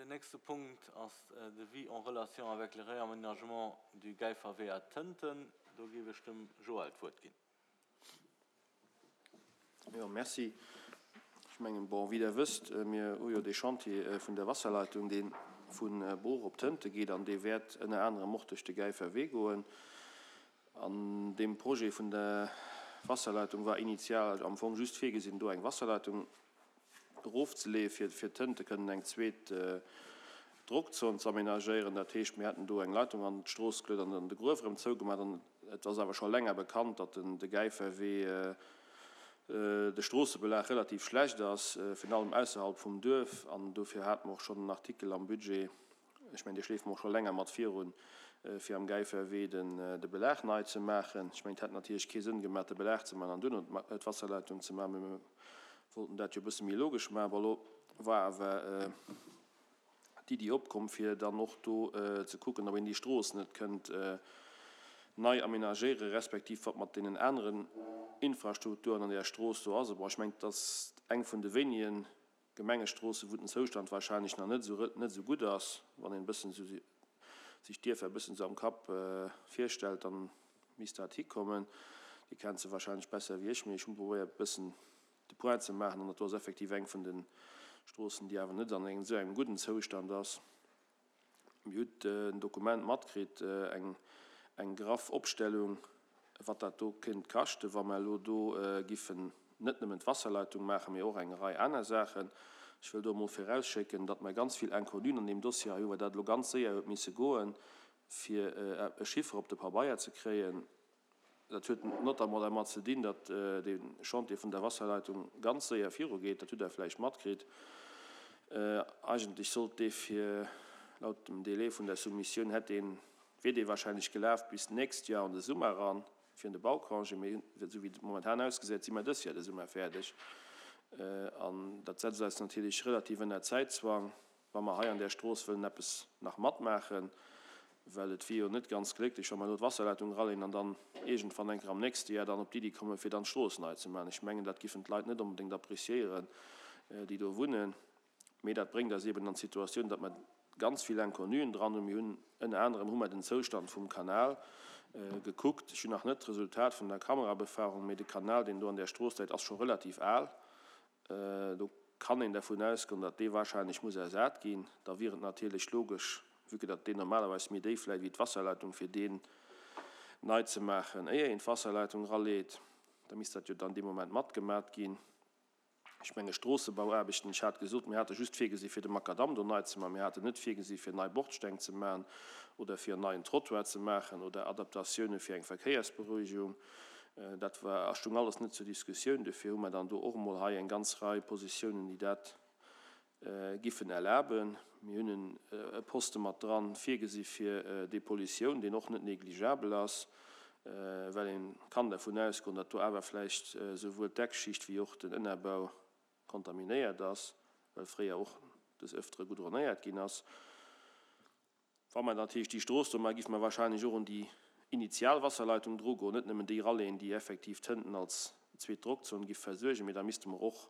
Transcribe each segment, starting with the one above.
Den nächste Punkt ass Devis en relation avec le réaménagement du Gäiferwee à Tënten. Do géif ech dem Joël d'Wuert ginn. Jo, merci. Ech mengen, bon, wéi Der wësst, mir hu jo dee Chantier vun der Wasserleitung, dee vu Bruch op Tënte geet an dee wäert ënner anerem och duerch de Gäiferwee goen. An deem Projet vun der Wasserleitung war initial am Fong just virgesinn, do eng Wasserleitung erofzeleeën, fir fir d'Tënte kënnen eng zweet Drockzon ze amenagéieren. Dat heescht, mir hätten do eng Leitung an d'Strooss geluet an dann de Gruef erëm zougemaach. An et ass awer scho länger bekannt, datt den de Gäiferwee, de Stroossebelag relativ schlecht ass, virun allem ausserhalb vum Duerf. An dofir hate mer och schonn en Artikel am Budget Ech mengen, dee schleefe mer och scho länger mat virun, fir am Gäiferwee de Belag nei ze maachen. Ech mengen, et hätt natierlech kee Sënn gemaach, de Belag ze maachen an duerno d'Wasserleitung ze maachen, mee mir wollten dat jo e bësse méi logesch maachen. Bon, elo war awer d'Iddi opkomm, fir dann och do ze kucken, ob een déi Strooss net kënnt nei amenagéieren, respektiv wat mat deenen aneren Infrastrukturen an där Strooss do ass. Bon, ech mengen, et ass eng vun de wéinegen Gemengestroossen, wou den Zoustand wahrscheinlech nach net esou net esou gutt ass. Wann een e bëssen esou sech d'Dierfer e bëssen esou am Kapp virstellt, dann misst dat hikommen. Dir kennt se wahrscheinlech besser wéi ech, mee ech hunn probéiert e bëssen de Point ze maachen an dat do ass effektiv eng vun de Stroossen, déi awer net an engem esou engem gudden Zoustand ass. Mir hutt en Dokument matkritt, eng eng graff Opstellung, wat dat do kéint kaschten, wa mer elo do giffen net nëmmen d'Wasserleitung maachen, mee och eng Rei aner Saachen. Ech wëll do emol virausschécken, datt mer ganz vill Inconnuen an deem Dossier hei hunn, well dat elo ganz séier huet misse goen, fir e Chiffer op de Pabeier ze kréien. Dat huet notamment dermat ze dinn, datt dee Chantier vun der Wasserleitung ganz séier virugeet. Dat hutt Der vläicht matkritt. Eigentlech sollt dee fir, laut dem Délai vun der Soumissioun, hätt deen, wier dee wahrscheinlech gelaf bis d'nächst Joer an de Summer eran, fir an de Baucongé. Mee esou wéi et momentan ausgesäit, si mer dës Joer de Summer fäerdeg. An dat setzt eis natierlech relativ ënner Zäitzwang. wa mer hei an där Strooss wëllen eppes nach matmaachen, well et wier jo net ganz glécklech, wa mer elo d'Wasserleitung eraleen an dann iergendwann eng Kéier am nächste Jar dann op d'Iddi kommen, fir dann d'Strooss nei ze maachen. Ech mengen, dat giffen d'Leit net onbedéngt appréciéieren, déi do wunnen. Mee dat bréngt eis eeben an d'Situatioun, datt mer ganz vill Inconnuen dran hunn. Mir hunn ënner anerem hu mer den Zoustand vum Kanal gekuckt. Ech hunn nach net d'Resultat vun der Kamerabefahrung, mee de Kanal, deen do an där Strooss läit, ass scho relativ al. Do kann een dervun ausgoen, datt dee wahrscheinlech muss ersat ginn. Da wier et natierlech logesch, vue que datt deen normalerweis méi déif läit wéi d'Wasserleitung, fir deen nei ze maachen, éier een d'Wasserleitung eraleet. Da misst dat jo dann dee Moment matgemat ginn. Ech menge Stroossebauaarbechten, ech hat gesot, mir hate just virgesi fir de Makadamm do nei ze maachen, mir haten net virgesi fir nei Bordsteng ze maachen oder fir en neien Trottoir ze maachen oder Adaptatioune fir eng Verkéiersberuhigung. Dat war a stung alles net zur Diskussioun. Dofir hu mer dann do och emol hei eng ganz Rei Positiounen, déi dat giffen erlaben. Mir hunn e Poste mat dran virgesi fir Depollutioun, deen och net négligeabel ass, well ee kann dervun ausgoen, datt do awer vläicht souwuel d'Deckschicht wéi och den Ënnerbau kontaminéiert ass, well fréier och des Ëftere goudronéiert ginn ass. Wa mer natierlech déi Strooss do maachen, géife mer wahrscheinlech och un déi initial Wasserleitung drugoen, net nëmmen déi Ralléen, déi effektiv d'Hënten als zweet Drockzon giff versuergen, mee da misste mer och,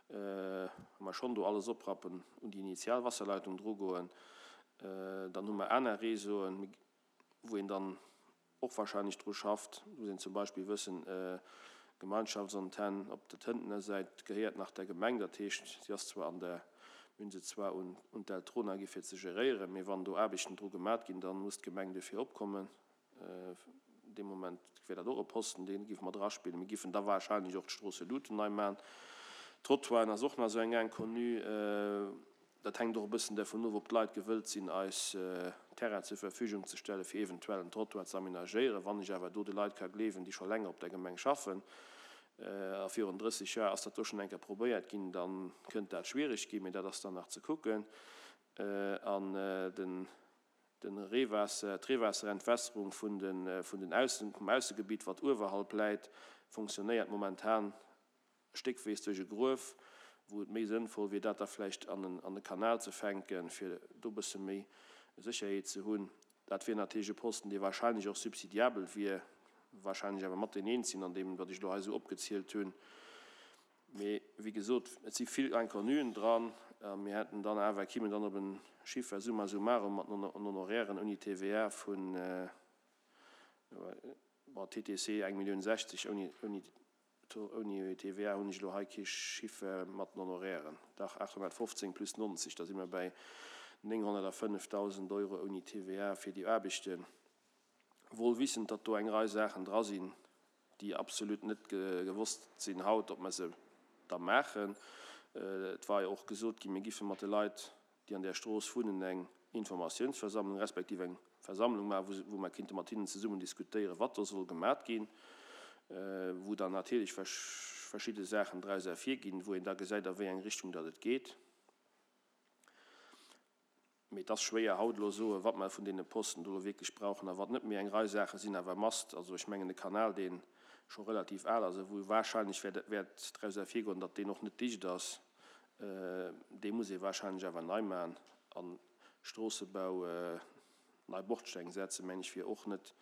wa mer schonn do alles oprappen, un déi initial Wasserleitung drugoen. Dann hu mer aner Réseauen, wou een dann och wahrscheinlech dru schafft, muss een zum Beispill wëssen, Gemeinschaftsantenn op der Tëntener Säit gehéiert nach der Gemeng, dat heescht, si ass zwar an der, mir hunn se zwar un d'Eltrona gi fir ze geréieren, mee wann do Aarbechten dru gemat ginn, da muss d'Gemeng duerfir opkommen. Dee Moment wär dat och e Posten, dee géife mer draspillen. Mir géifen da wahrscheinlech och d'Stroosseluten nei maachen. Trottoiren ass och nach esou eng Inconnue. Dat hänkt och e bëssen dervun of, ob d'Leit gewëllt sinn, eis Terrain zur Verfügung ze stellen, fir eventuell en Trottoir ze amenagéieren. Wann ech awer do de Leit ka gleewen, déi scho länger op der Gemeng schaffen, a virun 30 Joer ass dat do schonn eng Kéier probéiert ginn, da kënnt dat schwierig ginn, mee dat ass dann nach ze kucken. An den Reewaasser, d'Reewaasserentwässerung vun de, vun den Aussen, vum Aussegebitt, wat uewerhalb läit, fonctionnéiert momentan stéckwees duerch e Gruef, wou et méi sënnvoll wier, dat da vläicht an e Kanal ze fänken, fir do e bësse méi Sécherheet ze hunn. Dat wier natierlech e Posten, dee wahrscheinlech och subsidiabel wier, wahrscheinlech awer mat deen eenzegen an deem, wat ech elo hei esou opgezielt hunn. Mee wéi gesot, et si vill Inconnuen dran. A mir hätten dann awer, kimen dann op e Chiffer summa summarum mat den Honorairen ouni TVA vun, bon, TTC eng Millioun 60, ouni, ouni, ouni TVA hunn ech elo hei kee Chiffer mat den Honorairen, dach 815 plus 90, da si mer bäi 905.000 Euro ouni TVA fir déi Aarbechten. Wohl wissend, datt do eng Rei Saachen dra sinn, déi absolut net gewosst sinn haut, ob mer se da maachen. Et war jo och gesot ginn, mir giffe mat de Leit, déi an där Strooss wunnen, eng Informatiounsversammlung respektiv eng Versammlung maachen, wou mer kinnte mat hinnen zesummen diskutéieren, wat do soll gemat ginn, wou dann natierlech verschidde Saachen draus ervirginn, wou een da gesäit, a wéi eng Richtung datt et geet. Mee et ass schwéier haut elo soen, wat mer vun deene Posten do elo wierklech brauchen a wat net. Mee eng Rei Saache sinn awer must. Also ech mengen de Kanal, dee scho relativ al ass a wou wahrscheinlech wäert wäert draus ervirgoen, datt deen och net dicht ass, dee muss ee wahrscheinlech awer nei maachen. A Stroossebau, nei Bordsteng setzen, meng ech, wier och net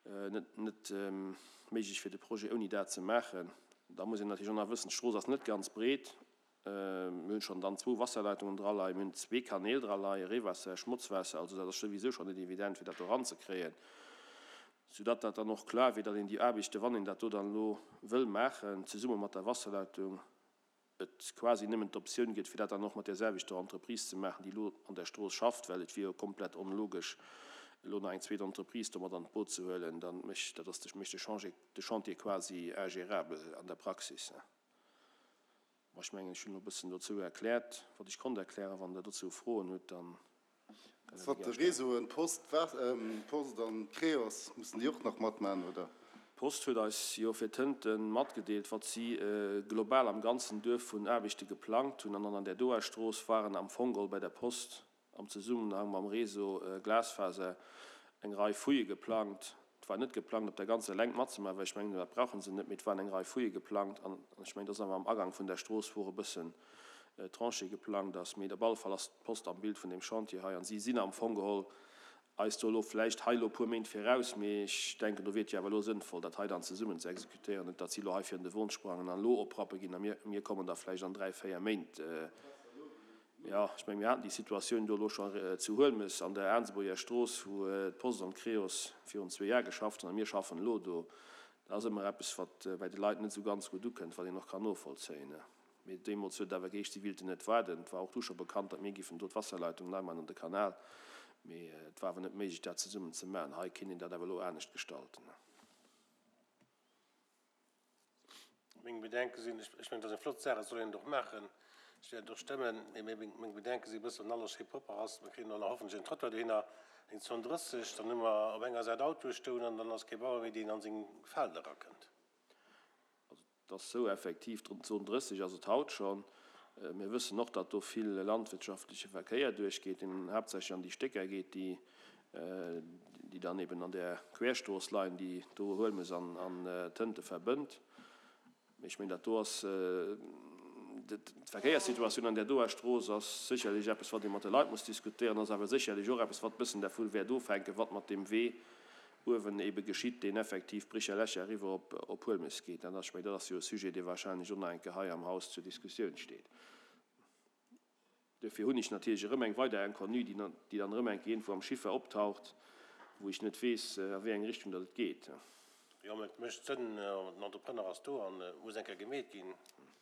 net net méiglech fir de Projet ouni dat ze maachen. Da muss een natierlech och nach wëssen, d'Strooss ass net ganz breet. Mir hunn schonn dann zwou Wasserleitungen draleien, mir hunn zwee Kanäl draleien, Reewaasser, Schmotzwaasser, also dat ass souwisou schonn net evident fir dat do eranzekréien, soudatt dat dann och klar wier, datt een déi Aarbechte, wann een dat do dann elo wëll maachen, zesumme mat der Wasserleitung, et quasi nëmmen d'Optioun gëtt, fir dat dann och mat där selwechter Entreprise ze maachen, déi elo an der Strooss schafft, well et wier jo komplett onlogesch, elo nach eng zweet Entreprise do mat an d'Boot ze huelen, dann mécht dat ass de mécht de Chantier de Chantier quasi ingérable an der Praxis. Ma ech mengen, ech hunn elo e bëssen dozou erkläert, wat ech konnt erklären. Wann Der dozou Froen hutt, da kënnt Der déi gär stellen. Réseauen, Post, Post an Creos, mussen déi och nach matmachen, oder? D'Post huet eis jo fir Tënten matgedeelt, wat si global am ganzen Duerf vun Aarbechte geplangt hunn. An dann an där doer Strooss waren am Fong geholl bei der Post am Zesummenhang mam Réseau Glasfaser eng Rei Fouillë geplangt. Et war net geplangt, op der ganzer Längt matzemaachen, well ech mengen, dat brauche se net, mee et waren eng Rei Fouillë geplangt. An ech mengen, dass awer am Agang vun der Strooss, wou och e bëssen Tranchée geplangt ass. Mee op alle Fall ass d'Post am Bild vun deem Chantier hei. An si sinn am Fong geholl eis do elo vläicht hei elo e puer Méint viraus, mee ech denken, do wier et jo awer elo sënnvoll, dat hei dann zesummen ze exekutéieren, net datt si elo hei virun de Won sprangen an elo oprappe ginn a mir, mir kommen da vläicht an dräi, véier Méint. Jo, ech mengen, mir haten déi Situatioun do elo scho zu Huelmes an der Aansebuerger Strooss, wou d'Post an d'Creos virun zwee Jar geschafft hunn a mir schaffen elo do. Dat ass ëmmer eppes, wat bäi de Leit net esou ganz gutt ukënnt, wat een och kann novollzéien. Mee deemools huet et awer geheescht, si wéilten net waarden. Et war och du scho bekannt, datt mir giffen do d'Wasserleitung nei maachen an de Kanal. Mee et war awer net méiglech, dat zesummen ze maachen. Hei kéint een dat awer elo anescht gestalten. Meng Bedenke sinn, ech mengen, dat ass eng flott Saach, et soll een et och maachen, ech wäert et och stëmmen, mee meng Bedenke si e bëssen, wann alles schéi propper ass, mir kréien och nach hoffentlech en Trottoir dohinner, eng Zone 30, dann hu mer op enger Säit Autoe stoen an dann ass kee Bauer méi, deen an seng Felder erakënnt. Also et ass esou, effektiv, d'Zone 30 ass et haut schonn. Mir wëssen och, datt do vill landwirtschaftleche Verkéier duerchgeet, deen haaptsächlech an déi Stécker geet, déi déi dann eben an där Querstrooss leien, déi do Huelmes an Tënte verbënnt. Mee ech mengen, dat do ass, d'Verkéierssituatioun an där doer Strooss ass sécherlech eppes, wat ee mat de Leit muss diskutéieren, ass awer sécherlech och eppes, wat e bëssen dervu wäert ofhänken, wat mat deem Wee uewen ebe geschitt, deen effektiv Bricherlächer eriwwer op Huelmes geet. Dat ass, ech mengen, dat ass jo e Sujet, dee wahrscheinlech och nach eng Kéier hei am Haus zur Diskussioun steet. Duerfir hunn ech natierlech erëm eng weider Inconnue, déi dann erëm eng Kéier iergendwou am Chiffer optaucht, wou ech net weess, a wéi eng Richtung datt et geet. Jo, mä et mécht Sënn, den Entrepreneur ass do an et muss eng Kéier gemeet ginn,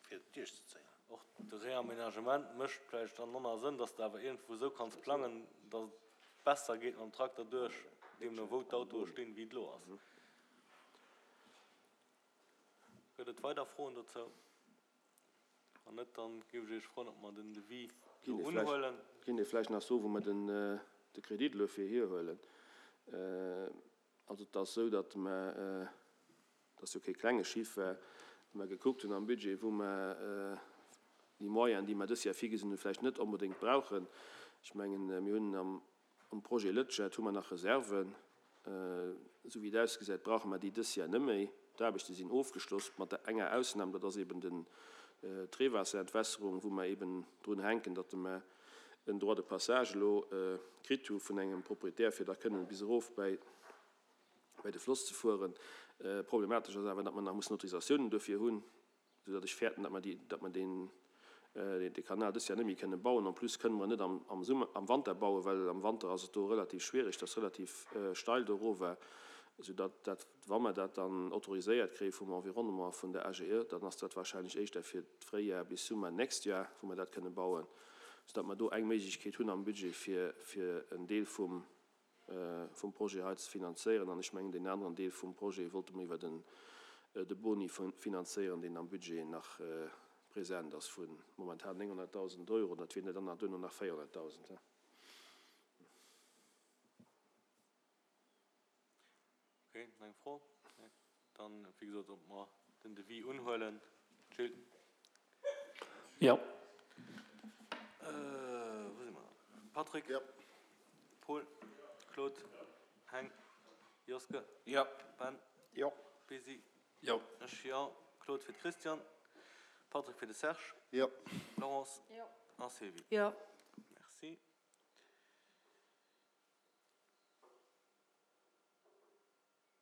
fir et duerchzezéien. Och de Réaménagement mécht vläicht dann manner Sënn, dass de awer iergendwou esou kanns plangen, dass et besser geet mam Trakter duerch, deemno wou d'Autoe stinn, wéi et elo ass. Gëtt et weider Froen dozou? Wann net, dann géif ech Iech froen, ob mer den Devis do unhuelen. Kinnt ee vläicht nach soen, wou mer den de Kredit elo fir hierhuelen. Also et ass esou, datt mer, et ass jo kee klenge Chiffer, datt mer gekuckt hunn am Budget, wou mer déi Moyenen, déi mer dës Joer virgesinn hunn, vläicht net onbedéngt brauchen. Ech mengen, mir hunn am Um Projet Lëtschert hu mer nach Reserven. Esou wéi et ausgesäit, brauche mer déi dës Jar net méi. D'Aarbechte sinn ofgeschloss, mat der enger Ausnam, dat ass eben den d'Reewaasserentwässerung, wou mer eben drun hänken, datt mer en Droit de passage elo kritt hu vun engem Proprietär, fir da kënnen bis erof bäi bäi de Floss ze fueren. Problematesch ass awer, datt mer nach mussen Autorisatiounen dofir hunn. Esou datt ech fäerten, datt mer déi, datt mer deen. de Kanal dës Joer net méi kënne bauen. En plus kënne mer en net am Summer, am Wanter bauen, well am Wanter ass et do relativ schwierig, et ass relativ steil do erof, soudatt dat, wa mer dat dann autoriséiert kréie vum Environnement a vun der AGE, dann ass dat wahrscheinlech éischter fir d'Fréijar bis Summer nächst Joer, wou mer dat kënne bauen, soudatt mer do eng Méiglechkeet hunn am Budget, fir fir en Deel vum vum Projet hei ze finanzéieren. An ech mengen, deen aneren Deel vum Projet wollte mer iwwer den de Boni finanzéieren, deen am Budget nach present ass vu momentan 900.000 Euro. Dat wieren der dann nach duerno nach 400.000. Ok, nach eng Fro? Nee. Dann, wéi gesot, ob mer den Devis unhuelen. Gilles? Jo. Wou si mer dann? Patrick? Jo. Paul? Claude? Heng? Joske? Jo. Ben? Jo. Besi? Jo. Ech jo. Claude fir de Christian, Patrick fir de Serge. Jo. Laurence? Jo. A Sylvie? Jo.